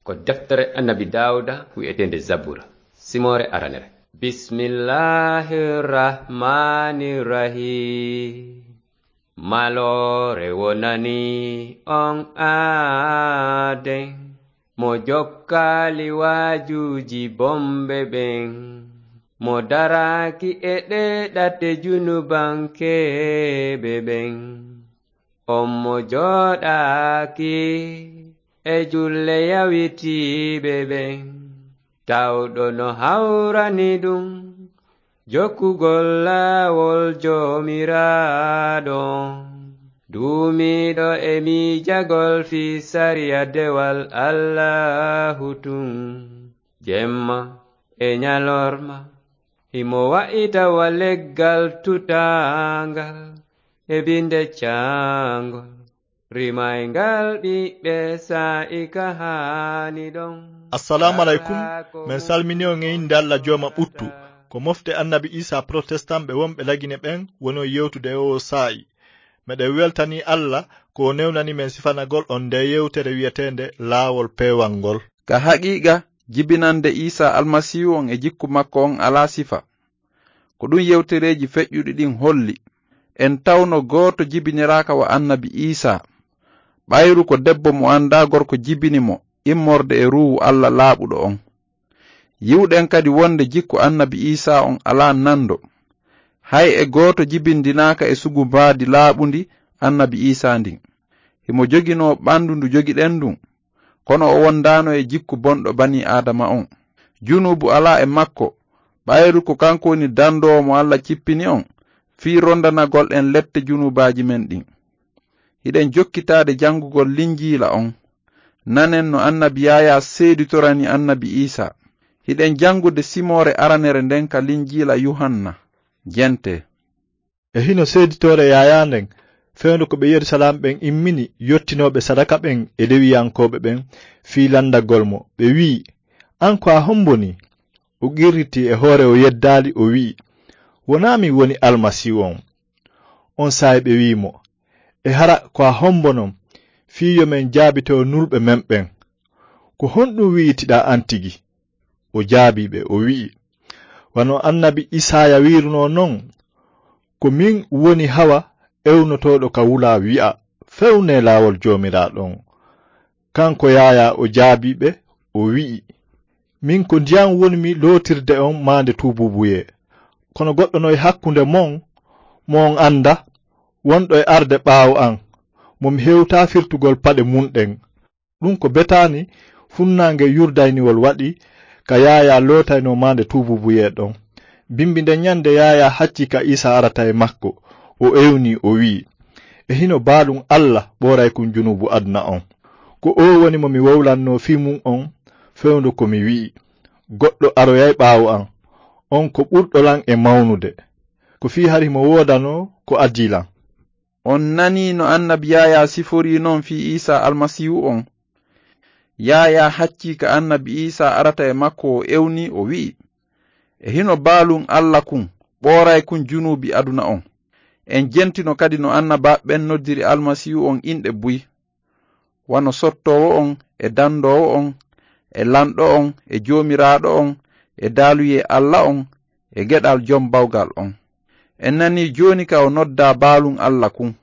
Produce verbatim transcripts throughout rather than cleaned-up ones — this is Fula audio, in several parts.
Ko deftere Annabi Daawuda wi'eteende Zabura, simoore aranere. Bismillahir Rahmanir Rahim. Maloore wonani on aaden, mo jokkaali waajuuji bomɓe ɓen, mo daraaki e ɗee ɗate junubankeeɓe ɓen. On mo jooɗaaki e julle yawitiiɓe ɓen, tawɗo no hawrani ɗum jokkugol laawol Joomiraaɗo, duumiiɗo e miijagol fii sariya dewal Allaahu tun, jemma e ñalorma. Himo wa'ita wa leggal tutaangal e binde caangol, rimayngal ɓiɓɓe saa'i ka haani ɗon. Assalaamu aleykum. Men salmini on e innde Alla Jooma ɓuttu. Ko mofte Annabi Iisaa Protestan ɓe wonɓe Lagine ɓen woni on yewtude e oo saa'i. Meɗen weltanii Alla ko o newnani men sifanagol on ndee yewtere wi'eteende Laawol Peewal ngol. Ka haqiiqa, jibinande Iisaa Almasiihu on e jikku makko on alaa sifa. Ko ɗun yewtereeji feƴƴuɗi ɗin holli. En tawno gooto jibiniraaka wa Annabi Iisaa. Ɓayru ko debbo mo anndaa gorko jibini mo immorde e Ruuhu Alla laaɓuɗo on. Yi'uɗen kadi wonde jikku Annabi Iisaa on alaa nando. Hay e gooto jibindinaaka e sugu mbaadi laaɓundi Annabi Iisaa ndin. Himo joginoo ɓandu ndu jogiɗen ndun, kono o wondaano e jikku bonɗo banii Aadama on. Junuubu alaa e makko, ɓayru ko kanko woni dandoowo mo Alla cippini on, fii rondanagol en lette junuubaaji men ɗin. Hiɗen jokkitaade janngugol Linjiila on. Nanen no Annabi Yaayaa seeditorani Annabi Iisaa. Hiɗen janngude simoore aranere nden ka Linjiila Yuhanna. Jente. E hino seeditoore Yaayaa nden, fewndo ko ɓe Yerusalaam ɓen immini yottinooɓe sadaka ɓen e Lewiyankooɓe ɓen fii landagol mo, ɓe wi'i, "An ko a hombo nii?" O qirritii e hoore o yeddaali, o wi'i, "Wonaa min woni Almasiihu on." On saa'i ɓe wi'i mo, "E hara ko a hombo non, fii yo men jaabito nulɓe men ɓen? Ko honɗun wi'itiɗaa an tigi?" O jaabii ɓe, o wi'i, "Wano Annabi Isaaya wi'irunoo non, 'Ko min woni hawa ewnotooɗo ka wulaa wi'a, 'Fewnee laawol Joomiraaɗo on.'" Kanko Yaayaa o jaabii ɓe, o wi'i, "Min ko ndiyan wonmi lootirde on maande tuubuubuyee. Kono goɗɗo no e hakkunde mon, mo on anndaa, wonɗo e arde ɓaawo an, mo mi hewtaa firtugol paɗe mun ɗen." Ɗun ko betaani funnaange Yurdayniwol waɗi ka Yaayaa lootaynoo maande tuubuubuyee ɗon. Bimbi nden ñande Yaayaa haccii ka Iisaa arata e makko, o ewnii, o wi'i, "E hino baalun Alla ɓooraykun junuubu aduna on. Ko oo woni mo mi wowlannoo fii mun on, fewndo ko mi wi'i, 'Goɗɗo aroyay ɓaawo an, on ko ɓurɗo lan e mawnude. Ko fii hari himo woodanoo ko adii lan.'" On nanii no Annabi Yaayaa siforii non fii Iisaa Almasiihu on? Yaayaa haccii ka Annabi Iisaa arata e makko, o ewnii, o wi'i, "E hino baalun Alla kun, ɓooraykun junuubi aduna on." En jentino kadi no annabaaɓe ɓen noddiri Almasiihu on inɗe buy, wano sottoowo on, e dandoowo on, e lanɗo on, e joomiraaɗo on, e daaluyee Alla on, e geɗal Jom Bawgal on. En nanii jooni ka o noddaa baalun Alla kun.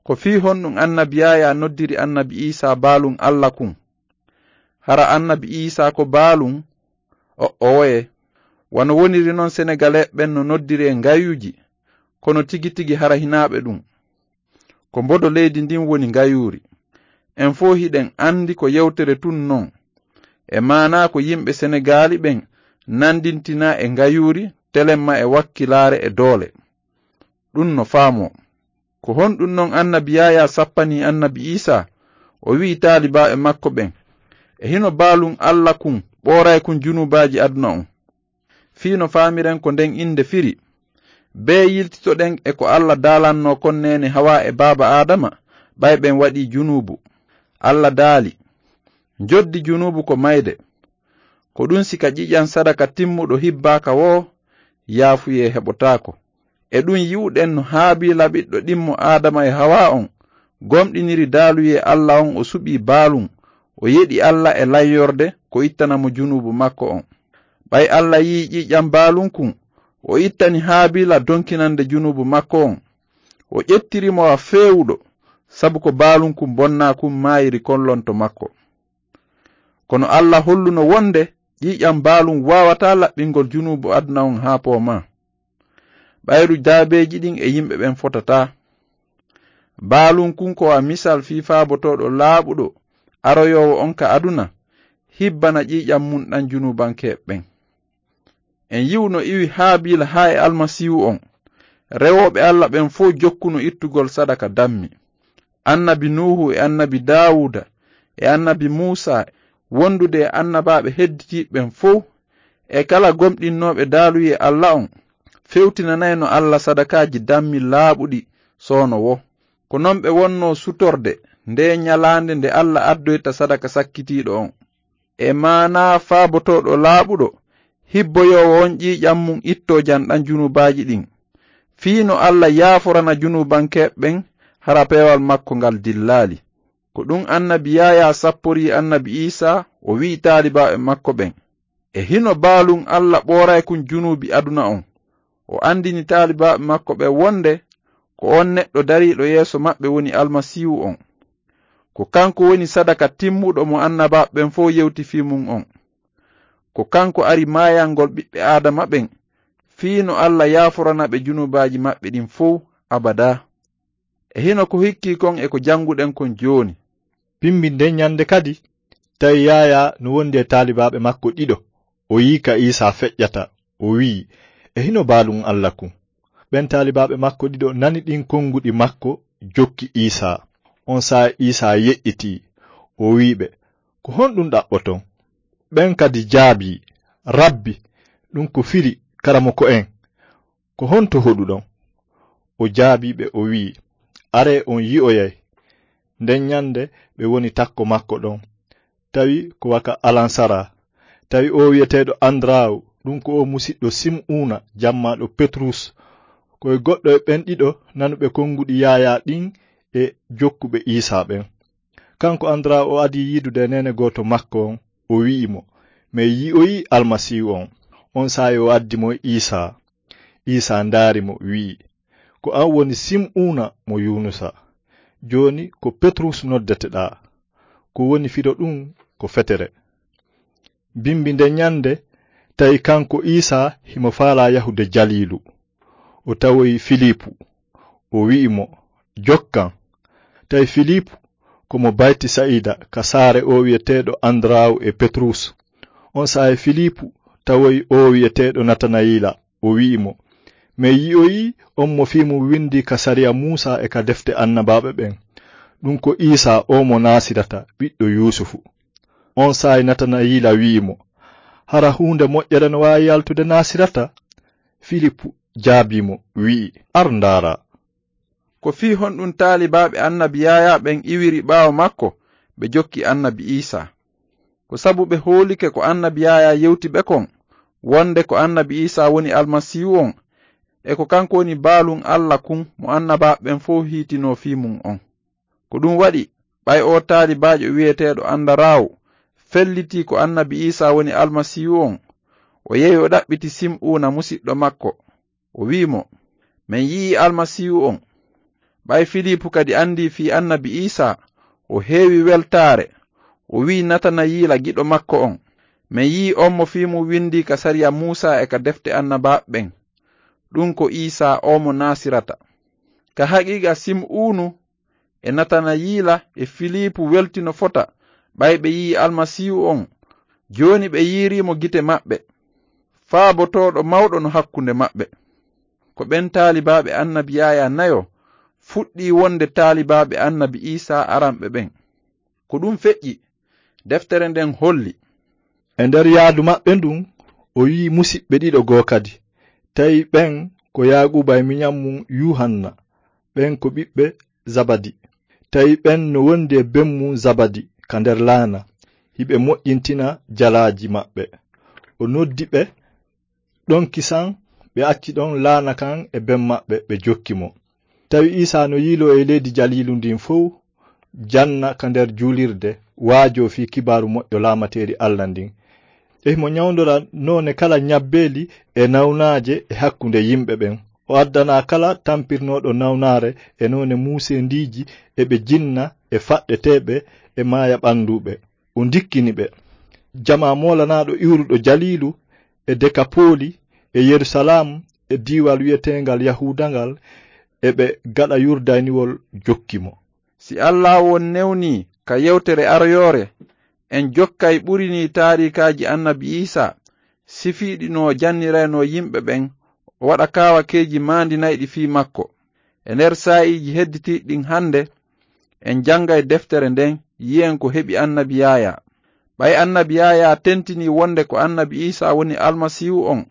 Ko fii honɗun Annabi Yaayaa noddiri Annabi Iisaa baalun Alla kun? Hara Annabi Iisaa ko baalun? O'owoye. Wano woniri non, Senegaleeɓe ɓen no noddiree ngayuuji, kono tigi tigi hara hinaa ɓe ɗun. Ko mbodo leydi ndin woni ngayuuri. En fow hiɗen andi ko yewtere tun non. E maanaa ko yimɓe Senegaali ɓen nandintinaa e ngayuuri, telemma e wakkilaare e doole. Ɗun no faamoo. Ko honɗun non Annabi Yaayaa sappanii Annabi Iisaa? O wi'i taalibaaɓe makko ɓen, "E hino baalun Alla kun, ɓooraykun junuubaaji aduna on." Fii no faamiren ko nden innde firi, bee yiltitoɗen e ko Alla daalannoo kon neene Hawaa e baaba Aadama, ɓay ɓen waɗii junuubu. Alla daali, "Njoddi junuubu ko mayde." Ko ɗun si ka ƴiƴan sadaka timmuɗo hibbaaka woo, yaafuyee heɓotaako. E ɗun yi'uɗen no Haabiila ɓiɗɗo ɗimmo Aadama e Hawaa on gomɗiniri daaluyee Alla on, o suɓii baalun, O yeɗi Alla e layyorde ko ittana mo junuubu makko on. Ɓay Alla yi'i ƴiiƴan baalunkun, o ittani Haabiila donkinande junuubu makko on. O ƴettiri mo a feewuɗo, sabu ko baalunkun bonnaa kun maayiri kon lonto makko. Kono Alla holluno wonde ƴiiƴan baalun waawataa laɓɓingol junuubu aduna on haa poomaa. Ɓayru jaabeeji ɗin e yimɓe ɓen fotataa. Baalunkun ko a misal fii faabotooɗo laaɓuɗo aroyoowo on ka aduna, hibbana ƴiiƴan mun ɗan junuubankeeɓe ɓen. En yi'u no iwi Haabiila haa e Almasiihu on. Rewooɓe Alla ɓen fow jokkuno ittugol sadaka dammi. Annabi Nuuhu e annabi Daawuuda e annabi Muusaa, wondude e annabaaɓe hedditiiɓe ɓen fow, e kala gomɗinnooɓe daaluyee Alla on, fewtinanayno Alla sadakaaji dammi laaɓuɗi soono woo. Ko non ɓe wonnoo sutorde ndee ñalaande nde Alla addoyta sadaka sakkitiiɗo on. E maanaa faabotooɗo laaɓuɗo, hibboyoowo on ƴiiƴan mun ittoo jan ɗan junuubaaji ɗin, fii no Alla yaaforana junuubankeeɓe ɓen hara peewal makko ngal dillaali. Ko ɗun annabi Yaayaa sapporii annabi Iisaa, o wi'i taalibaaɓe makko ɓen, e hino baalun Alla ɓooraykun junuubi aduna on. O andini taalibaaɓe makko ɓen wonde ko on neɗɗo dariiɗo yeeso maɓɓe woni Almasiihu on. Ko kanko woni sadaka timmuɗo mo annabaaɓe ɓen fow yewti fii mun on. Ko kanko ari maayangol ɓiɓɓe Aadama ɓen, fii no Alla yaaforana ɓe junuubaaji maɓɓe ɗin fow abadaa. E hino ko hikkii kon e ko jannguɗen kon jooni. Bimbi nden ñande kadi, tawi Yaayaa no wondi e taalibaaɓe makko ɗiɗo. O yi'i ka Iisaa feƴƴata, o wi'i, e hino baalun Alla kun. Ɓen taalibaaɓe makko ɗiɗo nani ɗin konguɗi makko, jokki Iisaa. On saa'i Iisaa yeƴƴitii, o wi'i ɓe, ko honɗun ɗaɓɓoton? Ɓen kadi jaabii, Rabbi, ɗun ko firi, Karamoko'en. Ko honto hoɗuɗon? O jaabii ɓe, o wi'i, aree on yi'oyay. Nden ñande ɓe woni takko makko ɗon. Tawi ko waka alansaraa. Tawi oo wi'eteeɗo Andaraawu, ɗun ko oo musiɗɗo Sim'uuna, jammaaɗo Petrus. Ko e goɗɗo e ɓen ɗiɗo nanuɓe konguɗi Yaayaa ɗin e jokkuɓe Iisaa ɓen. Kanko Andaraawu o adii yiidude e neene gooto makko on, o wi'i mo, men yi'oyii Almasiihu on. On saa'i o addi mo Iisaa. Iisaa ndaari mo, wi'i, ko an woni Sim'uuna mo Yuunusa. Jooni ko Petrus noddeteɗaa. Ko woni firo ɗun ko fetere. Bimbi nden ñande, tawi kanko Iisaa himo faalaa yahude Jaliilu. O tawoyi Filiipu. O wi'i mo, jokkan. Tawi Filiipu ko mo Baytisayida ka saare oo wi'eteeɗo Andaraawu e Petrus. On saa'i Filiipu tawoyi oo wi'eteeɗo Natanayiila. O wi'i mo, men yi'oyii on mo fii mun windii ka sariya Muusaa e ka defte annabaaɓe ɓen. Ɗun ko Iisaa oo mo Naasirata, ɓiɗɗo Yuusufu. On saa'i Natanayiila wi'i mo, hara huunde moƴƴere no waawi yaltude Naasirata? Filiipu jaabii mo, wi'i, ar ndaaraa. Ko fii honɗun taalibaaɓe annabi Yaayaa ɓen iwiri ɓaawo makko, ɓe jokki annabi Iisaa? Ko sabu ɓe hoolike ko annabi Yaayaa yewti ɓe kon, wonde ko annabi Iisaa woni Almasiihu on, e ko kanko woni baalun Alla kun mo annabaaɓe ɓen fow hiitinoo fii mun on. Ko ɗun waɗi, ɓay oo taalibaajo wi'eteeɗo Andaraawu fellitii ko annabi Iisaa woni Almasiihu on, o yehi o ɗaɓɓiti Sim'uuna musiɗɗo makko, o wi'i mo, men yi'ii Almasiihu on. Ɓay Filiipu kadi andii fii annabi Iisaa, o heewi weltaare, o wi'i Natanayiila giɗo makko on, men yi'ii on mo fii mun windii ka sariya Muusaa e ka defte annabaaɓe ɓen. Ɗun ko Iisaa oo mo Naasirata. Ka haqiiqa Sim'uunu e Natanayiila e Filiipu weltino fota, ɓay ɓe yi'ii Almasiihu on. Jooni ɓe yi'irii mo gite maɓɓe. Faabotooɗo mawɗo no hakkunde maɓɓe. Ko ɓen taalibaaɓe annabi Yaayaa nayo fuɗɗii wonde taalibaaɓe annabi Iisaa aranɓe ɓen. Ko ɗun feƴƴi, deftere nden holli. E nder yaadu maɓɓe ndun, o yi'i musiɓɓe ɗiɗo goo kadi. Tawi ɓen ko Yaaquuba e miɲan mun Yuuhanna, ɓen ko ɓiɓɓe Zabadi. Tawi ɓen no wondi e ben mun Zabadi ka nder laana, hiɓe moƴƴintina jalaaji maɓɓe. O noddi ɓe, ɗon kisan ɓe acci ɗon laana kan e ben maɓɓe, ɓe jokki mo. Tawi Iisaa no yiiloo e leydi Jaliilu ndin fow, janna ka nder juulirde, waajoo fii kibaaru moƴƴo laamateeri Alla ndin. E himo ɲawndora noone kala ɲabbeeli e nawnaaje e hakkunde yimɓe ɓen. O addanaa kala tampirnooɗo nawnaare e noone muuseendiiji e ɓe jinna e faɗɗeteeɓe e maayaɓannduuɓe. O ndikkini ɓe. Jamaa moolanaaɗo iwruɗo Jaliilu e Dekapooli e Yerusalaam e diiwal wi'eteengal Yahuuda ngal e ɓe gaɗa Yurdaaniwol jokki mo. Si Allaahu on newnii ka yewtere aroyoore, en jokkay ɓuri nii taariikaaji Annabi Iisaa, sifiiɗi no o janniraynoo yimɓe ɓen, o waɗa kaawakeeji maandinayɗi fii makko. E nder saa'iiji hedditiiɗi ɗin hannde, en janngay deftere nden, yi'en ko heɓi Annabi Yaayaa. Ɓay Annabi Yaayaa tentinii wonde ko Annabi Iisaa woni Almasiihu on,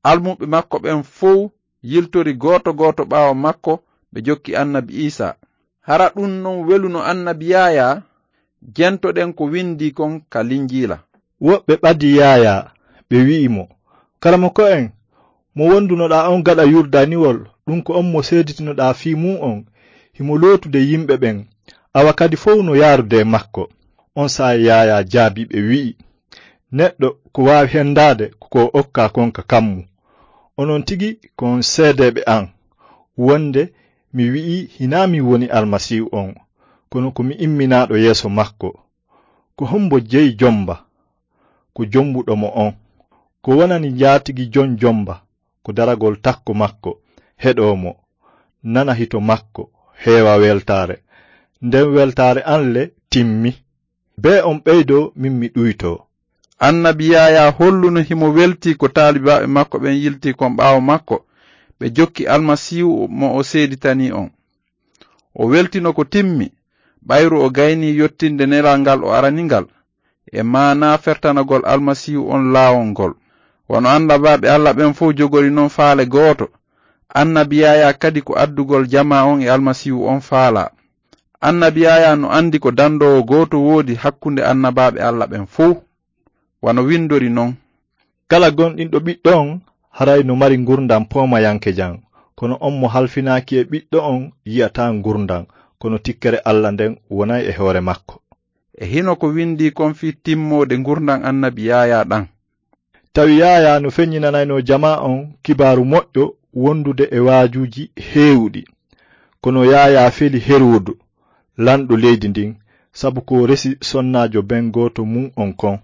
almuɓɓe makko ɓen fow yiltori gooto gooto ɓaawo makko, ɓe jokki Annabi Iisaa. Hara ɗun non weluno Annabi Yaayaa? Jentoɗen ko windii kon ka Linjiila. Woɓɓe ɓadii Yaayaa, ɓe wi'i mo, "Karamoko'en, mo wondunoɗaa on gaɗa Yurdaaniwol, ɗun ko on mo seeditinoɗaa fii mun on, himo lootude yimɓe ɓen, awa kadi fow no yaarude e makko." On saa'i Yaayaa jaabii ɓe, wi'i, "Neɗɗo ko waawi hendaade ko ko okkaa kon ka kammu. Onon tigi ko on seedeeɓe an, wonde mi wi'ii hinaa min woni Almasiihu on, kono ko mi imminaaɗo yeeso makko. Ko hombo jeyi jomba? Ko jombuɗo mo on. Ko wonani njaatigi jon jomba? Ko daragol takko makko, heɗoo mo, nana hito makko, heewa weltaare. Nden weltaare an le timmi. Bee on ɓeydoo, min mi ɗuytoo." Annabi Yaayaa holluno himo weltii ko taalibaaɓe makko ɓen yiltii kon ɓaawo makko, ɓe jokki Almasiihu mo o seeditanii on. O weltino ko timmi, ɓayru o gaynii yottinde nelal ngal o arani ngal, e maanaa fertanagol Almasiihu on laawol ngol. Wano annabaaɓe Alla ɓen fow jogori non faale gooto, Annabi Yaayaa kadi ko addugol jamaa on e Almasiihu on faalaa. Annabi Yaayaa no anndi ko dandoowo gooto woodi hakkunde annabaaɓe Alla ɓen fow. Wano windori non, "Kala gomɗinɗo Ɓiɗɗo on, haray no mari ngurndan poomayankejan, kono on mo halfinaaki e Ɓiɗɗo on yi'ataa ngurndan, kono tikkere Alla nden wonay e hoore makko." E hino ko windii kon fii timmoode ngurndan Annabi Yaayaa ɗan. Tawi Yaayaa no feɲɲinanaynoo jamaa on kibaaru moƴƴo wondude e waajuuji heewuɗi. Kono Yaayaa feli Heroodu, lanɗo leydi ndin, sabu ko resi sonnaajo ben gooto mun on kon.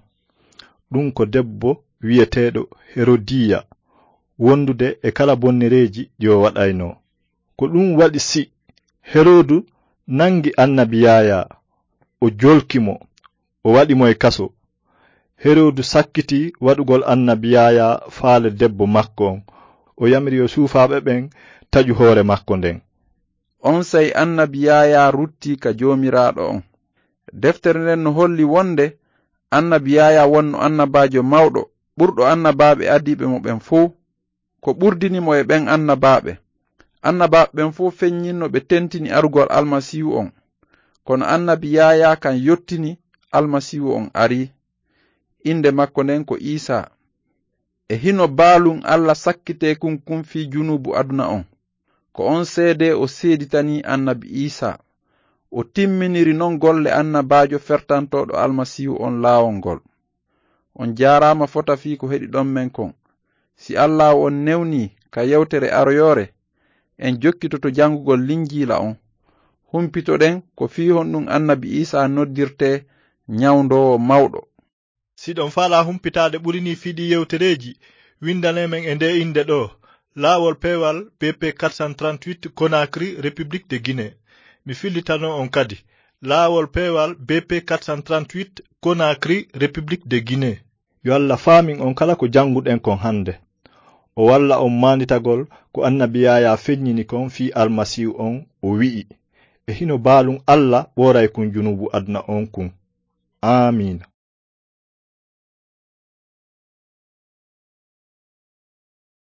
Ɗun ko debbo wi'eteeɗo Herodiya, wondude e kala bonnereeji ɗi o waɗaynoo. Ko ɗun waɗi si Heroodu nangi Annabi Yaayaa, o jolki mo, o waɗi mo e kaso. Heroodu sakkiti waɗugol Annabi Yaayaa faale debbo makko on. O yamiri yo suufaaɓe ɓen taƴu hoore makko nden. Onsay Annabi Yaayaa ruttii ka Joomiraaɗo on. Deftere nden no holli wonde Annabi Yaayaa wonno annabaajo mawɗo, ɓurɗo annabaaɓe adiiɓe mo ɓen fow. Ko ɓurdini mo e ɓen annabaaɓe. Annabaaɓe ɓen fow feɲɲinno ɓe tentini arugol Almasiihu on. Kono Annabi Yaayaa kan yottini Almasiihu on arii. Innde makko nden ko Iisaa. E hino baalun Alla sakkitee kun kun fii junuubu aduna on. Ko on seedee o seeditanii Annabi Iisaa. O timminiri non golle annabaajo fertantooɗo Almasiihu on laawol ngol. On jaaraama fota fii ko heɗiɗon men kon. Si Allaahu on newnii ka yewtere aroyoore, en jokkitoto janngugol Linjiila on. Humpitoɗen ko fii honɗun Annabi Iisaa noddirtee ɲawndoowo mawɗo. Si ɗon faalaa humpitaade ɓuri nii fii ɗii yewtereeji, windanee men e ndee innde ɗoo, Laawol Peewal B P quatre cent trente-huit, Conakry, République de Guinée. Mi fillitanoo on kadi, Laawol Peewal B P quatre cent trente-huit, Conakry, République de Guinée. Yo Alla faamin on kala ko jannguɗen kon hannde. O walla on maanditagol ko Annabi Yaayaa feɲɲini kon fii Almasiihu on, o wi'i, "E hino baalun Alla ɓooray kun junuubu aduna on kun." Aamiina.